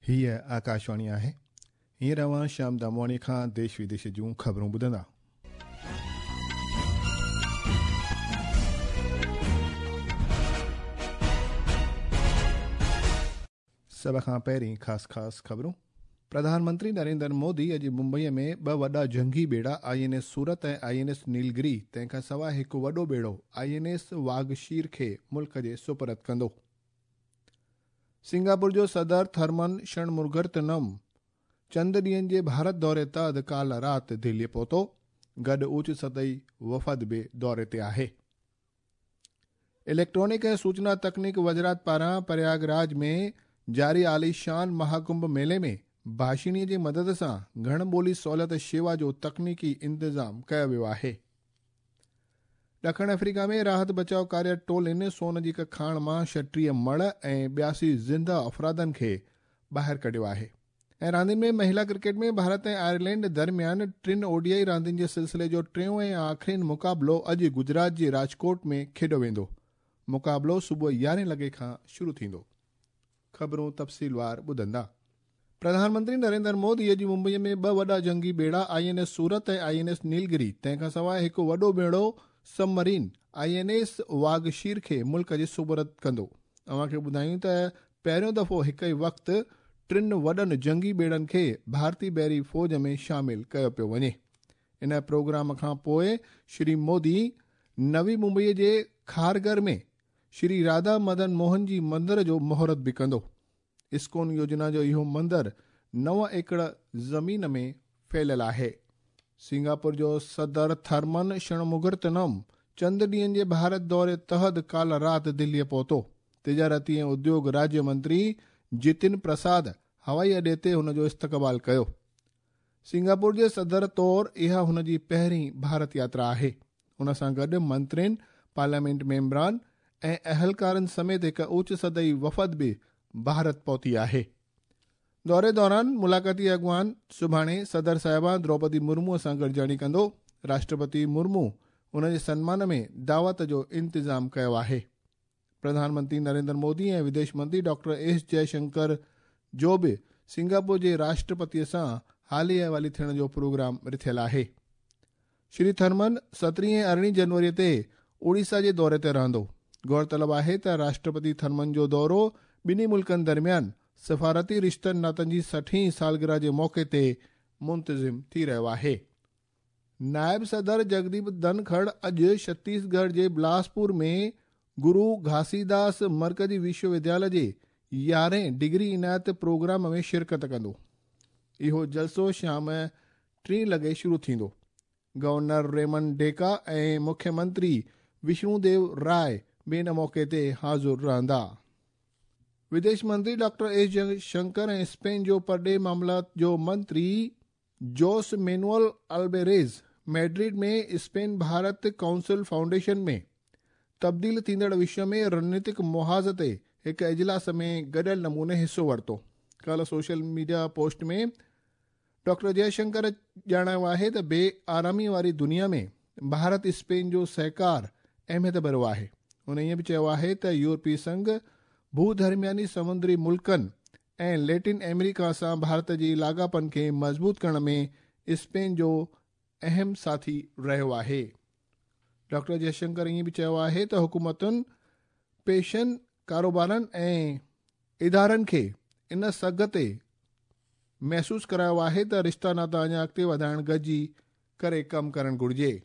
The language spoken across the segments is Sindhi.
هيء آڪاشواڻي آهي. هينئر اوهان شيام دامواڻي کان ديش وديش جون خبرون ٻڌندا. سڀ کان پهرين خاص خاص خبرون. پرڌان منتري نريندر مودي اڄ ممبئي ۾ ٻه وڏا جنگي ٻيڙا I N S Surat ۽ I N S Nilgiri تنهن کان سواء هڪ وڏو ٻيڙو I N S Vagsheer کي ملڪ جي سپرد ڪندو. سنگاپور جو صدر ٿرمن شڻمرگرتنم چند ڏينهن جي ڀارت دوري تحت ڪالهه رات دهلي پهتو، گڏ اوچ سطحي وفد به دوري تي آهي. اليڪٽرانڪ ۽ سوچنا تڪنيڪ وزارت پاران پرياگ راج ۾ جاري عاليشان مهاڪنڀ ميلي ۾ ڀاشڻي جي مدد سان گهڻ ٻولي سهولت شيوا جو تڪنيڪي انتظام ڪيو ويو آهي. ڏکڻ آفريڪا ۾ راحت بچاء ڪاريه ٽولين سون جي هڪ کاڻ مان 36 مڙهه ۽ 82 زنده افرادن کي ٻاهر ڪڍيو آهي. ۽ راندين ۾ مهلا ڪرڪيٽ ۾ ڀارت ۽ آئرلينڊ درميان ٽن او ڊي I راندين جي سلسلي جو ٽيون ۽ آخرين مقابلو اڄ گجرات جي راجڪوٽ ۾ کيڏيو ويندو. مقابلو صبح يارهين لڳي کان شروع ٿيندو. خبرون تفصيلوار ٻڌندا. پرڌان منتري نريندر مودي اڄ ممبئي ۾ ٻه وڏا جنگي ٻيڙا I N S Surat ۽ I N S Nilgiri تنهن کان سواء هڪ وڏو ٻيڙو submarine I N S Vagsheer کي ملڪ جي سپرد ڪندو. اوهان کي ٻڌايون ته پهريون دفعو هڪ ئي وقت ٽن وڏن جنگي ٻيڙن کي ڀارتي بحري فوج ۾ شامل ڪيو پيو وڃي. ان پروگرام کان پوء شري مودي نوي ممبئي جي کارگر ۾ شري راڌا مدن موهن جي مندر جو مهورت به ڪندو. اسڪون يوجنا جو اهو مندر 9 ايڪڙ زمين ۾ ڦهليل آهي. سنگاپور جو صدر ٿرمن شڻمگرتنم چند ڏينهن جي ڀارت دوري تحت ڪالهه رات دهليء پهتو. تجارتي ۽ اديوگ راجيه منتري جتن پرساد هوائي اڏي تي هن جو استقبال ڪيو. سنگاپور جي صدر طور اها هن جي پهرين ڀارت ياترا آهي. ان سان گڏ منترين، پارليامينٽ ميمبران ۽ اهلڪارن سميت هڪ اوچ سطحي وفد به ڀارت پهتي آهي. دوري دوران ملاقاتي اڳواڻ سڀاڻي صدر صاحبه دروپدي مرمو سان گڏجاڻي ڪندو. راشٽرپتي مرمو ان جي سنمان ۾ دعوت جو انتظام ڪيو آهي. پرڌان منتري نريندر مودي ۽ وديش منتري ڊاڪٽر ايس جئه شنڪر جو به سنگاپور جي راشٽرپتي سان حالي احوالي ٿيڻ جو پروگرام رٿيل آهي. شري ٿرمن 17 ۽ 18 جنوري تي اوڙيسا جي دوري تي رهندو. غور طلب آهي ته راشٽرپتي ٿرمن جو دورو ٻنهي ملڪن درميان سفارتي رشتن ناتن جي 60هين سالگرهه جي موقعي تي منتظم ٿي رهيو آهي. نائب صدر جگديپ ڌنکڙ اڄ ڇتيسڳڙهه جي بلاسپور ۾ گرو گهاسيداس مرڪزي وشو ودياليه جي 11هين ڊگري عنايت پروگرام ۾ شرڪت ڪندو. اهو جلسو شام 3 لڳي شروع ٿيندو. گورنر ريمنڊ ڊيڪا ۽ مکيه منتري وشنو ديو راء به ان موقعي تي حاضر رهندا. وديش منتري ڊاڪٽر ايس جئه شنڪر ۽ اسپين جو پرڏيهي معاملات جو منتري Jose Manuel Albares Madrid ۾ Spain Bharat council foundation ۾ تبديل ٿيندڙ وشو ۾ رڻنيتڪ محاذ تي هڪ اجلاس ۾ گڏيل نموني حصو ورتو. ڪالهه social media post ۾ doctor Jai Shankar ڄاڻايو آهي ته بي آرامي واري دنيا ۾ ڀارت اسپين جو سهڪار اهميت ڀريو آهي. هن ائين به چيو آهي ته يورپي سنگهه ڀوڌرمياني سمندري ملڪن ۽ ليٽن آمريڪا سان ڀارت جي لاڳاپن کي مضبوط ڪرڻ ۾ اسپين جو اهم ساٿي رهيو آهي. ڊاڪٽر جئه شنڪر ائين به چيو آهي ته حڪومتن، پيشن، ڪاروبارن ۽ ادارن کي ان سگهه تي محسوس ڪرايو آهي ته رشتا ناتا اڃا اڳتي وڌائڻ گڏجي ڪري ڪم ڪرڻ گهرجي.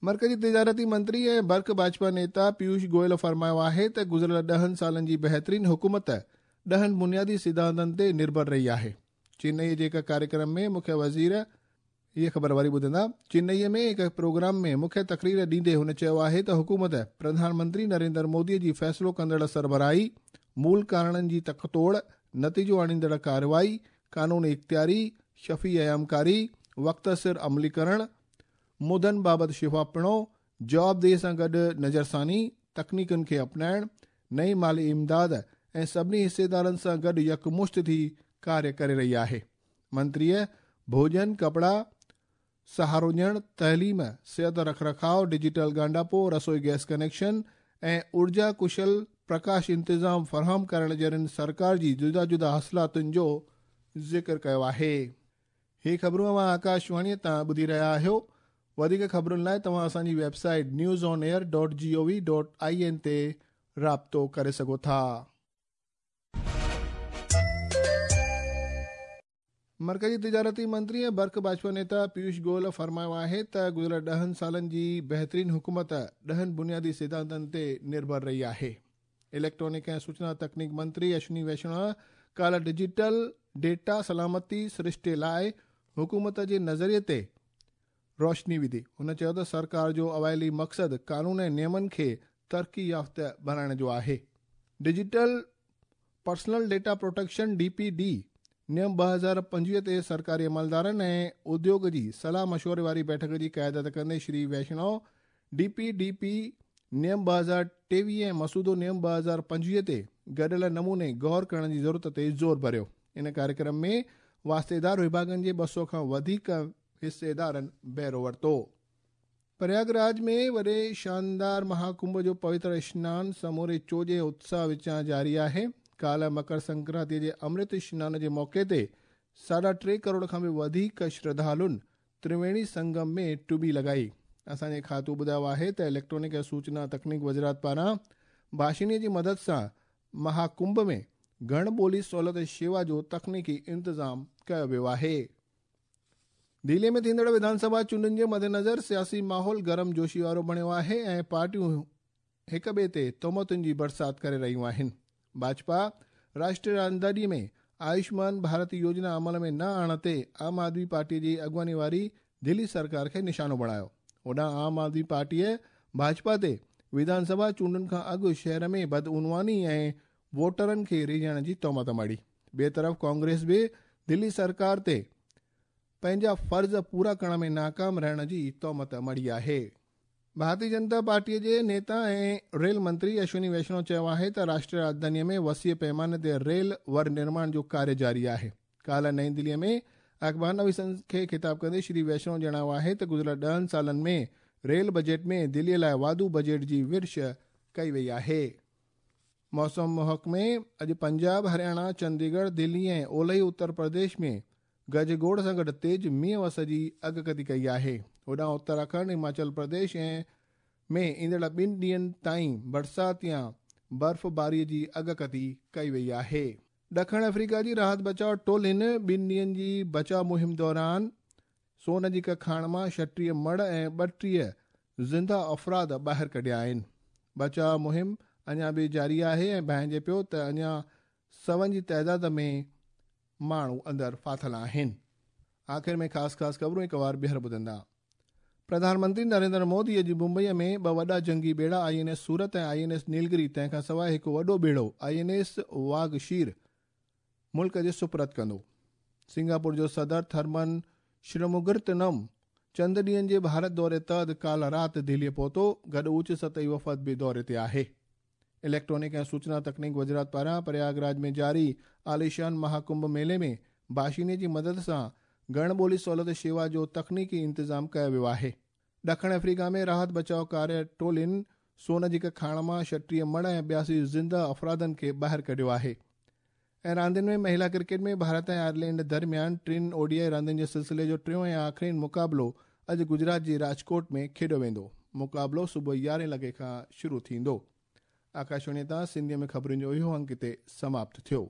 مرڪزي تجارتي منتري ۽ برک ڀاجپا نيتا پيوش گويل فرمايو آهي ته گذريل 10 سالن جي بهترين حڪومت 10 بنيادي سڌانتن تي نرڀر رهي آهي. چنئي جي هڪ ڪاريڪرم ۾ مکيه وزير هيء خبر وري ٻڌندا. چنئي ۾ هڪ پروگرام ۾ مکيه تقرير ڏيندي هن چيو آهي ته حڪومت پرڌان منتري نريندر مودي جي فيصلو ڪندڙ سربراهي، مول ڪارڻن جي تڪ توڙ، نتيجو آڻيندڙ ڪارروائي، قانوني اختياري، شفي ايامڪاري، وقت سر عملي ڪرڻ، مدن بابت شفافپڻو، جوابدهي سان گڏ نظرثاني، تڪنيڪن کي اپنائڻ، نئين مالي امداد ۽ سڀني حصيدارن سان گڏ يڪمشت ٿي ڪاريه ڪري رهي آهي. منتريء ڀوڄن، ڪپڙا، سهارو ڏيڻ، تعليم، صحت رک رکاء، ڊجيٽل ڳانڍاپو، رسوئي گئس ڪنيڪشن ۽ اورجا ڪشل پرڪاش انتظام فراهم ڪرڻ جهڙن سرڪار جي جدا جدا حاصلاتن جو ذڪر ڪيو آهي. هي خبرون اوهان آڪاشواڻيء تان ٻڌي رهيا آهيو. وڌيڪ خبرن لاء توهان اسان جي web site news on air dot G O V dot I N تي رابطو ڪري سگهو ٿا. مرڪزي تجارتي منتري ۽ برک ڀاجپا نيتا پيوش گوئل فرمايو آهي ته گذريل ڏهن سالن جي بهترين حڪومت ڏهن بنيادي سڌانتن تي نرڀر رهي آهي. اليڪٽرانڪ ۽ سوچنا تڪنيڪ منتري اشوني ويشڻو ڪالهه ڊجيٽل ڊيٽا سلامتي سرشتي لاء حڪومت جي نظريي تي روشني وڌي. هن چيو ته سرڪار جو اوائلي مقصد قانون ۽ نيمن کي ترقي يافته بڻائڻ جو آهي. Digital personal data protection, D P D, نيم 2025 تي سرڪاري عملدارن ۽ اديوڳ جي صلاح مشوري واري بيٺڪ جي قيادت ڪندي Shri Vaishnaw D P D P نيم 2023 ۽ مسودو نيم 2025 تي گڏيل نموني غور ڪرڻ جي ضرورت تي زور ڀريو. ان ڪاريڪرم ۾ واسطيدار وڀاڳن جي 200 کان وڌيڪ حصيدارن بهرو ورتو. پرياگ راج ۾ وڏي شاندار مها ڪنڀ جو پوتر اشنان سموري چوڄ ۽ اتساهه وچان جاري آهي. ڪالهه مڪر سنڪرانتي جي امرت اشنان جي موقعي تي ساڍا ٽي ڪروڙ کان به وڌيڪ شرڌالن ترويڻي سنگم ۾ ٽٻي لڳائي. اسان جي کاتو ٻڌايو آهي ته اليڪٽرانڪ ۽ سوچنا تڪنيڪ وزارت پاران ڀاشڻي جي مدد سان مها ڪنڀ ۾ گهڻ ٻولي سهولت شيوا جو تڪنيڪي انتظام ڪيو ويو آهي. دهلي ۾ ٿيندڙ وڌان سڀا چونڊن جي مدنظر سياسي ماحول گرم جوشي وارو بڻيو آهي ۽ پارٽيون هڪ ٻئي تي تهمتن جي برسات ڪري رهيون آهن. ڀاجپا راشٽريه راڄڌاني ۾ آيوشمان ڀارت يوجنا عمل ۾ نه آڻڻ تي عام آدمي پارٽي جي اڳواڻي واري دهلي سرڪار کي نشانو بڻايو. هوڏانهن عام آدمي پارٽيء ڀاجپا تي وڌان سڀا چونڊن کان اڳ شهر ۾ بدعنواني ۽ ووٽرن کي ريجهائڻ جي تهمت مڙهي. ٻئي طرف ڪانگريس به دهلي سرڪار تي پنهنجا فرض پورا ڪرڻ ۾ ناڪام رهڻ جي تهمت مڙهي آهي. ڀارتي جنتا پارٽيء جي نيتا ۽ ريل منتري اشوني ويشنو چيو آهي ته راشٽريه راڄڌانيء ۾ وسيع پيماني تي ريل ور نرماڻ جو ڪاريه جاري آهي. ڪالهه نئين دهليء ۾ اخبار نويسن کي خطاب ڪندي شري ويشنو ڄاڻايو آهي ته گذريل ڏهن سالن ۾ ريل بجيٽ ۾ دهليء لاء واڌو بجيٽ جي ورڇ ڪئي وئي آهي. موسم محڪمي اڄ پنجاب، هرياڻا، چنديڳڙهه، دهلي ۽ اولهي اتر پرديش ۾ گجگوڙ سان گڏ تيز مينهن وس جي اڳڪٿي ڪئي آهي. هوڏانهن اتراکنڊ، هماچل پرديش ۽ ۾ ايندڙ ٻن ڏينهن تائين برسات يا برفباري جي اڳڪٿي ڪئي وئي آهي. ڏکڻ آفريڪا جي راحت بچاء ٽولين ٻن ڏينهن جي بچاء مهم دوران سون جي هڪ کاڻ مان 36 مڙهه ۽ 32 زنده افراد ٻاهر ڪڍيا آهن. بچاء مهم اڃا به جاري آهي ۽ ڀانئجي پيو ته اڃا سون جي تعداد ۾ ماڻهو اندر ڦاٿل آهن. آخر ۾ خاص خاص خبرون هڪ وار ٻيهر ٻڌندا. پرڌان منتري نريندر مودي اڄ ممبئي ۾ ٻه وڏا جنگي ٻيڙا I N S Surat ۽ I N S Nilgiri تنهن کان سواء هڪ وڏو ٻيڙو I N S Vagsheer ملڪ جي سپرد ڪندو. سنگاپور جو صدر ٿرمن شرموگرتنم چند ڏينهن جي ڀارت دوري تحت ڪالهه رات دهليء پهتو، گڏ اوچ سطحي وفد به دوري تي آهي. اليڪٽرانڪ ۽ سوچنا تڪنيڪ وزارت پاران پرياگ راج ۾ جاري عاليشان مها ڪنڀ ميلي ۾ ڀاشيني جي مدد سان گهڻ ٻولي سهولت شيوا جو تڪنيڪي انتظام ڪيو ويو آهي. ڏکڻ آفريڪا ۾ راحت بچاء ڪاريه ٽولين سون جي هڪ کاڻ مان 36 مڙهه ۽ 82 زنده افرادن کي ٻاهر ڪڍيو آهي ۽ راندين ۾ مهيلا ڪرڪيٽ ۾ ڀارت ۽ آئرلينڊ درميان ٽن او ڊي I راندين جي سلسلي جو ٽيون ۽ آخرين مقابلو اڄ گجرات جي راجڪوٽ ۾ کيڏيو ويندو. مقابلو صبح يارهين لڳي کان شروع ٿيندو. آڪاشواڻي تان سنڌيء ۾ خبرن جو اهو انڪ هتي سماپت ٿيو.